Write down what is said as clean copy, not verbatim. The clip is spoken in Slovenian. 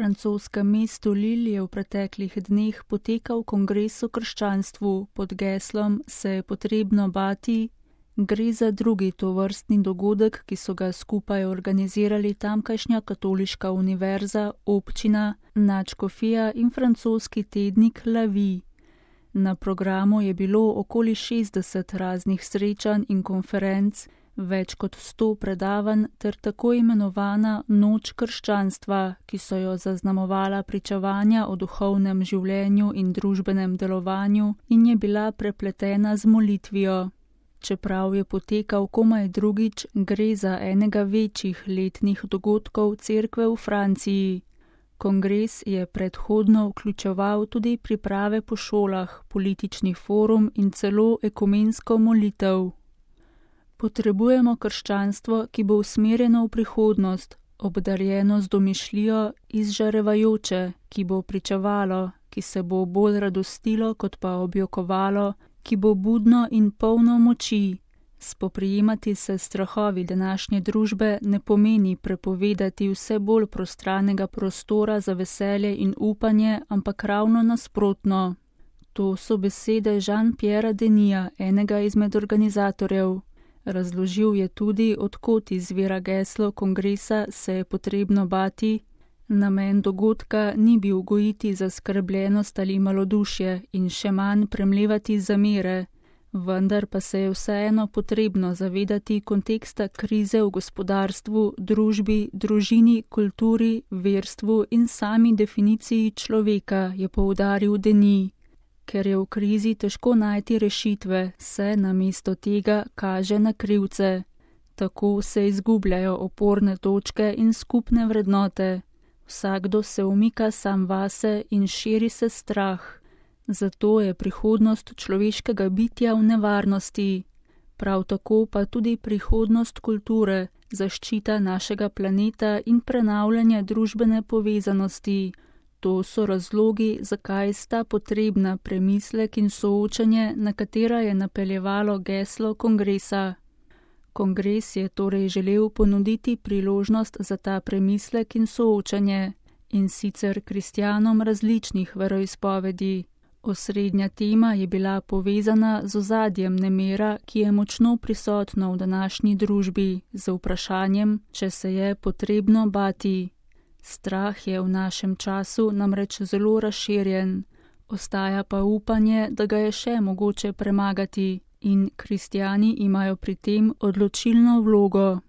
francoskem mestu Lille je v preteklih dneh potekal kongres o krščanstvu pod geslom Se je potrebno bati. Gre za drugi tovrstni dogodek, ki so ga skupaj organizirali tamkajšnja katoliška univerza, občina, nadškofija in francoski tednik La Vie. Na programu je bilo okoli 60 raznih srečanj in konferenc, več kot 100 predavanj ter tako imenovana Noč krščanstva, ki so jo zaznamovala pričevanja o duhovnem življenju in družbenem delovanju in je bila prepletena z molitvijo. Čeprav je potekal komaj drugič, gre za enega večjih letnih dogodkov cerkve v Franciji. Kongres je predhodno vključeval tudi priprave po šolah, politični forum in celo ekumensko molitev. Potrebujemo krščanstvo, ki bo usmerjeno v prihodnost, obdarjeno z domišljijo, izžarevajoče, ki bo pričevalo, ki se bo bolj radostilo, kot pa objokovalo, ki bo budno in polno moči. Spoprijemati se s strahovi današnje družbe ne pomeni prepovedati vse bolj prostranega prostora za veselje in upanje, ampak ravno nasprotno. To so besede Jean-Pierre Denija, enega izmed organizatorjev. Razložil je tudi, od kod izvira geslo kongresa Se je potrebno bati. Namen dogodka ni bil gojiti zaskrbljenost ali malodušje in še manj premlevati zamere, vendar pa se je vseeno potrebno zavedati konteksta krize v gospodarstvu, družbi, družini, kulturi, verstvu in sami definiciji človeka, je poudaril Denis. Ker je v krizi težko najti rešitve, se namesto tega kaže na krivce. Tako se izgubljajo oporne točke in skupne vrednote. Vsakdo se umika sam vase in širi se strah. Zato je prihodnost človeškega bitja v nevarnosti. Prav tako pa tudi prihodnost kulture, zaščita našega planeta in prenavljanje družbene povezanosti. To so razlogi, zakaj sta potrebna premislek in soočanje, na katera je napeljevalo geslo kongresa. Kongres je torej želel ponuditi priložnost za ta premislek in soočanje, in sicer kristjanom različnih veroizpovedi. Osrednja tema je bila povezana z ozadjem nemira, ki je močno prisotno v današnji družbi, z vprašanjem, če se je potrebno bati. Strah je v našem času namreč zelo razširjen, ostaja pa upanje, da ga je še mogoče premagati, in kristjani imajo pri tem odločilno vlogo.